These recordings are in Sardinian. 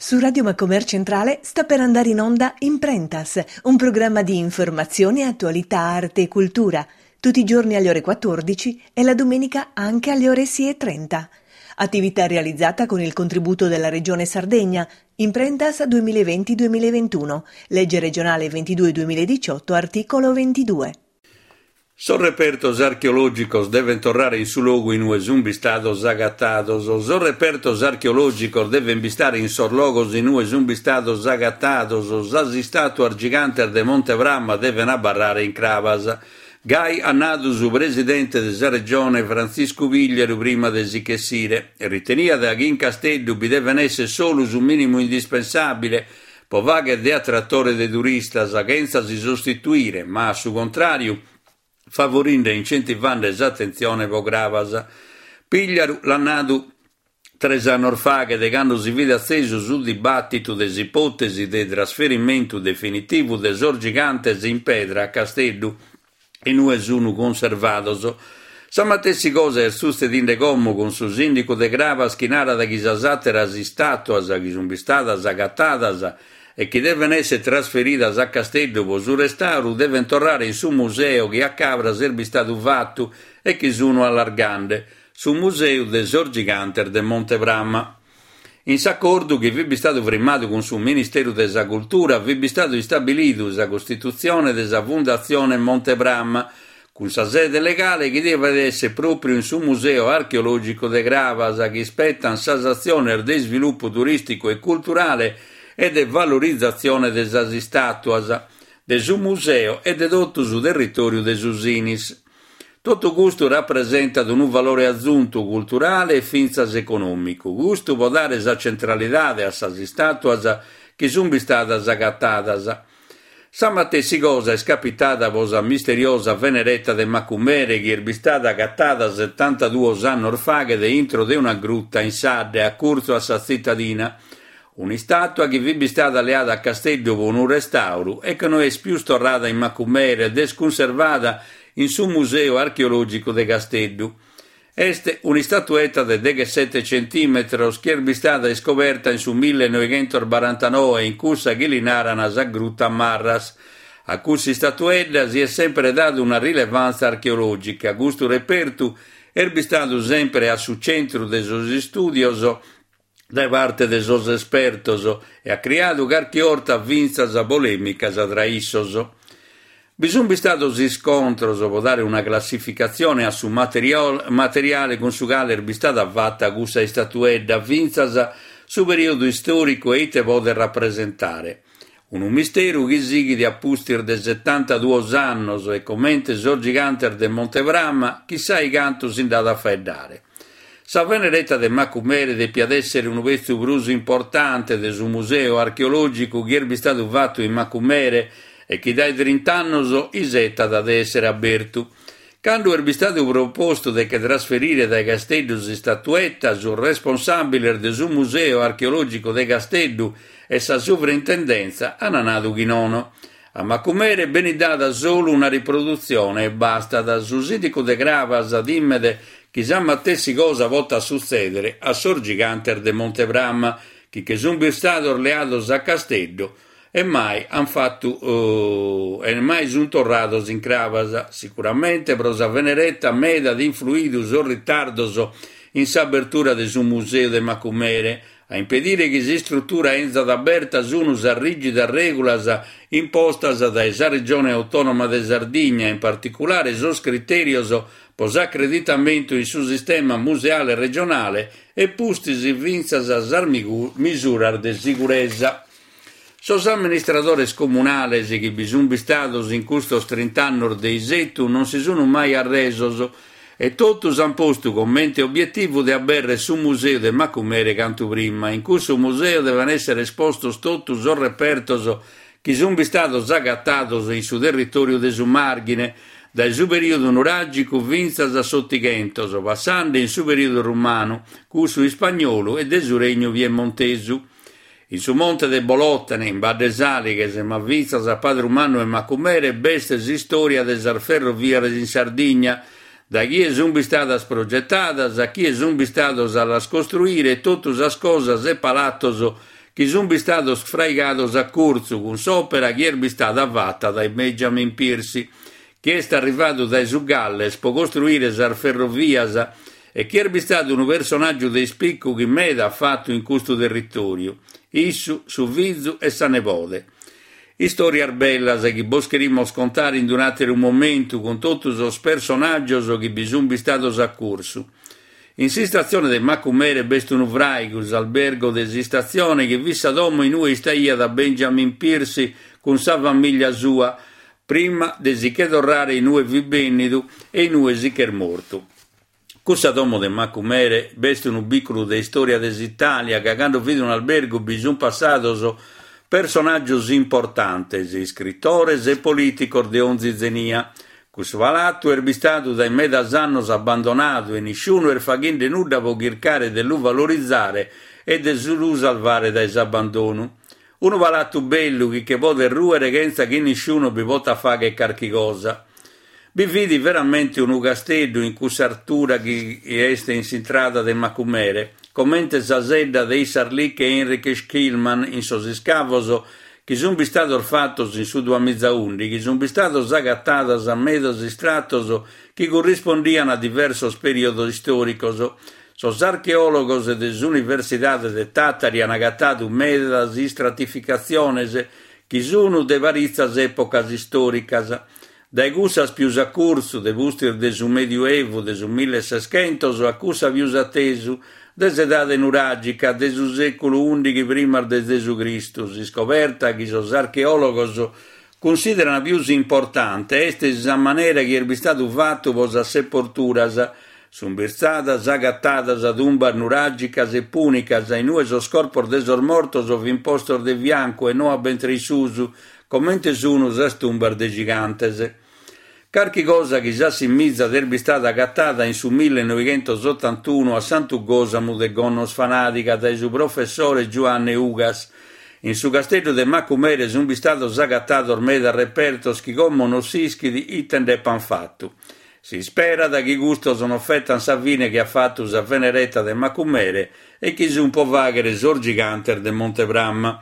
Su Radio Macomer Centrale sta per andare in onda Imprentas, un programma di informazione, attualità, arte e cultura, tutti i giorni alle ore 14 e la domenica anche alle ore 6.30. Attività realizzata con il contributo della Regione Sardegna, Imprentas 2020-2021, legge regionale 22-2018, articolo 22. Sos repertos archeològicos devent torrare in su logu in ue sunt bistados agatados. Sos repertos archeològicos devent bistare in sos logos in ue sunt bistados agatados. Sas istàtuas gigantes de Monte Prama devent abarrare in Crabas. Gai at nadu su presidente de sa Regione Frantziscu Pigliaru prima de si ch'essire. Riteniat chi in Casteddu bi devent èssere solu su mìnimu indispensàbile pro fagher de atratore de turistas, chentza si sostituire, ma a su contràriu favorinde e incentivande s'atentzione pro Crabas. Pigliaru l'at nadu tres annos faghet, cando si fit atzesu su dibàtitu de s'ipòtesi de trasferimentu definitivu de sos gigantes in pedra a Casteddu, in ue sunu cunservados. Sa matessi cosa est sutzedinde como cun su sìndicu de Crabas chi narat chi sas àteras istàtuas chi sunt bistadas agatadas e chi devent èssere trasferidas a Casteddu pro su restàuru devent torrare in su museu chi a Cabras est bistadu fatu e chi sunu allargande, su museu de sos gigantes de Monte Prama. In s'acordu chi fit bistadu frimmadu cun su Ministeru de sa Cultura fit bistadu istabilidu sa costitutzione de sa Fundatzione Monte Prama, cun sa sede legale chi devet èssere pròpriu in su Museu Archeològicu de Crabas, chi ispetan sas atziones de isvilupu turìsticu e culturale e de valorizatzione de sas istàtuas, de su museu e de totu su territòriu de su Sinis. Totu custu rapresentat unu valore azuntu culturale e fintzas econòmicu, custu pro dare sa centralidade a sas istàtuas chi sunt bistadas agatadas. Sa matessi cosa est capitada pro sa misteriosa Veneretta de Macumere chi est bistada agatada setantaduos annos faghet intro de una gruta in s'adde a curtzu a sa tzitadina. Un'istàtua chi fit bistada leada a Casteddu pro unu restàuru e chi no est pius torrada in Macumere ed est cunservada in su Museu Archeològicu de Casteddu. Est un'istatueta de deghessete centìmetros chi est bistada iscoberta in su millenoighentosbarantanoe in cussa chi li naran sa Gruta Marras. A cuss'istatuedda si est sempre dadu una rilevantza archeològica. Custu repertu est bistadu sempre a su centru de sos istùdios dae parte de sos espertos e at criadu carchi 'orta fintzas polèmicas tra issos. Bi sunt bistados iscontros pro dare una classificatzione a su materiale cun su cale est bistada fata cussa istatuedda, fintzas su perìodu istòricu e ite podet rapresentare. Unu misteru chi sighit a pustis de setantaduos annos e comente sos gigantes de Monte Prama, chissai cantu si nd'at a faeddare. Sa Veneretta de Macumere depiat èssere unu petzu prus importante de su museu archeològicu chi est bistadu fatu in Macumere e chi dae trint'annos isetat de èssere abertu. Cando est bistadu propostu de che trasferire dae Casteddu s'istatuetta, sos responsàbiles de su Museu Archeològicu de Casteddu e sa Suvrintendenza an nadu chi nono. A Macumere benit dada solu una riprodutzione e bastat. Su sìndicu de Crabas timet chi sa matessi cosa potat sutzèdere a sos gigantes de Monte Prama, chi che sunt bistados leados a Casteddu e mai an fatu e mai sunt torrados in Crabas. Sicuramente pro sa Veneretta meda at influidu sos ritardos in s'abertura de su museu de Macumere. A impedire chi s'istrutura 'enzat aberta sunu sas rìgidas règulas impostas dae sa Regione Autònoma de Sardigna, in particulare sos critèrios pro s'acreditamentu in su sistema museale regionale e pustis fintzas sas misuras de siguresa. Sos amministradores comunales chi bi sunt bistados in custos trint'annos de isetu non si sunt mai arresos e totus ant postu comente obietivu de abèrrere su museu de Macumere cantu prima. In cussu museu devent èssere espostos totu sos repertos chi sunt bistados agatados in su territòriu de su Màrghine, dae su perìodu nuràgicu fintzas a s'Otighentos, passende in su perìodu rumanu, cussu ispagnolu e de su Regnu Piemontesu. In su monte de Bolòtene, in Badde Sàlighes, ma fintzas a Padru Mannu e Macumere, b'est s'istòria de sas ferrovias in Sardigna, dae chie sunt bistadas progetadas, a chie sunt bistados a las costruire e totu sas cosas e palatos chi. chi sunt bistados fraigados a curtzu cun s'òpera chi est bistada fata dae Benjamin Piercy, chi est arrivadu dae su Galles pro costruire sas ferrovias e chi est bistadu unu personàgiu de ispicu chi meda at fatu in custu territòriu, issu, su fizu e sa nebode. Istòrias bellas chi bos cherimos contare in un'àteru momentu cun totu sos personàgios chi bi sunt bistados a cursu. In s'istatzione de Macumere b'est unu fràigu, s'albergo de s'istatzione, chi fit sa domo in ue istaiat Benjamin Piercy cun sa famìllia sua, prima de si che torrare in ue fit bènnidu e in ue si ch'est mortu. Cussa domo de Macumere b'est unu bìculu de istòria de s'Itàlia ca cando fit un'albergu bi sunt passados personàgios importantes, iscritores e polìticos de onzi zenia. Cussu palatu est bistadu dae medas annos abbandonadu e nisciunu est faghende nudda pro chircare de lu valorizare e de lu salvare dae s'abbandonu. Unu palatu bellu chi che podet rùere chentza chi nisciunu bi potat fàghere carchi cosa. Bi fit veramente unu casteddu in cussa artura chi est in s'intrada de Macumere, comente sa sedda de Issarlik e Heinrich Schliemann in sos iscavos chi sunt bistados fatos in su duamizaùndighi, sunt bistados agatadas medas istratos chi currispondian a diversos perìodos istòricos. Sos archeòlogos de s'Universidade de Tàtari an agatadu medas istratificatziones chi sun de paritzas èpocas istòricas, dae cussas pius a curtzu, de pustis de su Medioevu de su milleseschentos, a cussa pius a tesu, de s'edade nuràgica, de su sèculu ùndighi primas de Zesu Cristu. S'iscoberta chi sos archeòlogos cunsìderan pius importante est sa manera chi est bistadu fatu pro sas seporturas, Sunt bistadas agatadas tumbas nuràgicas e pùnicas in ue sos corpos de sos mortos fin postos de fiancu e no a bentre in susu, comente sunu sas tumbas de gigantes. Carchi cosa chi s'assimizat est bistada agatada in su millenoighentosottantunu a Santu Gòsamu de Gonnosfanadiga dae su professore Giuanne Ugas. In su casteddu de Macumere sunt bistados agatados medas repertos chi como non s'ischit ite nd'epan fatu. Si isperat chi custos non fetan sa fine chi at fatu sa Venereta de Macumere e chi sun pro fàghere sos gigantes de Monte Prama.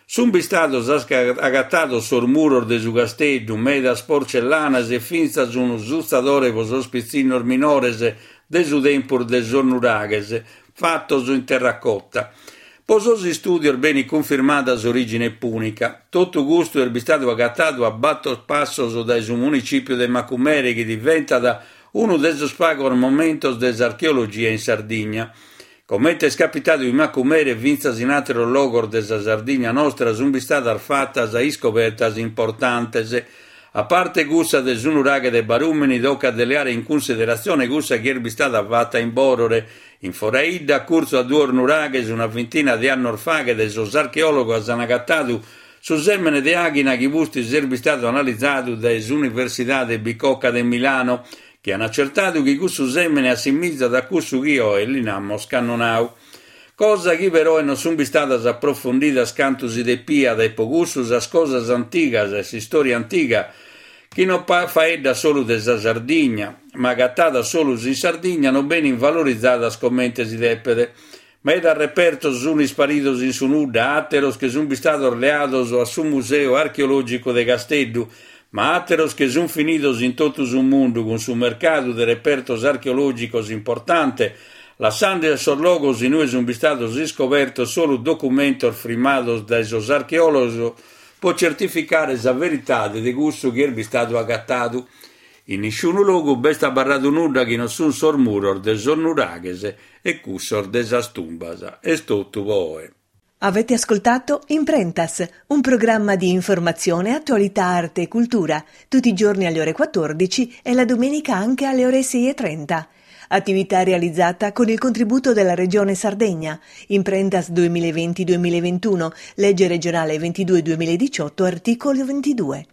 Sun bistados agatados sos muros de su casteddu, medas porcellanas e fintzas unu sutzadore pro sos pitzinnos minores de su tempus de sos nuraghes, fatos in terracotta. Po sos istùdios benit cunfirmada s'orìgine pùnica. Totu custu est bistadu agatadu a bator passos dae su municìpiu de Macumere chi diventat unu de sos pagos momentos de s'archeologia in Sardigna. Comente est capitadu in Macumere fintzas in àteros logos de sa Sardigna nostra sunt bistadas fatas iscobertas importantes. A parte cussa de su nuraghe de Barùmini tocat de leare in cunsideratzione cussa chi est bistada fata in Bòrore, In Foraidda, a curtzu a duos nuraghes, una vintina de annos faghet, sos archeòlogos an agatadu su sèmene de àghina chi pustis est bistadu analizadu dae s'Universidade Bicocca de Milano, chi an acertadu chi cussu sèmene assimizat a cussu chi oe li namos cannonau. Cosa chi peroe non sunt bistadas aprofundidas cantu si depiat e po cussu sas cosas antigas e s'istòria antiga chi non faeddat solu de sa Sardigna, ma agatadas solus in Sardigna non benint valorizadas comente si depet. Medas repertos sunt isparidos in su nudda, àteros che sunt bistados leados a su Museu Archeològicu de Casteddu, ma àteros che sunt finidos in totu su mundu cun su mercadu de repertos archeològicos importante, lassende a sos logos in ue sunt bistados iscobertos solu documentos frimados dae sos archeòlogos po certificare sa veritade de cussu chi est bistadu agatadu. In nisciunu logu b'est abarradu nudda chi non sunt sos muros de sos nuraghes e cussos de sas tumbas. Est totu po oe. Avete ascoltato Imprentas, un programma di informazione, attualità, arte e cultura, tutti i giorni alle ore 14 e la domenica anche alle ore 6.30. Attività realizzata con il contributo della Regione Sardegna. Imprentas 2020-2021, legge regionale 22 2018, articolo 22.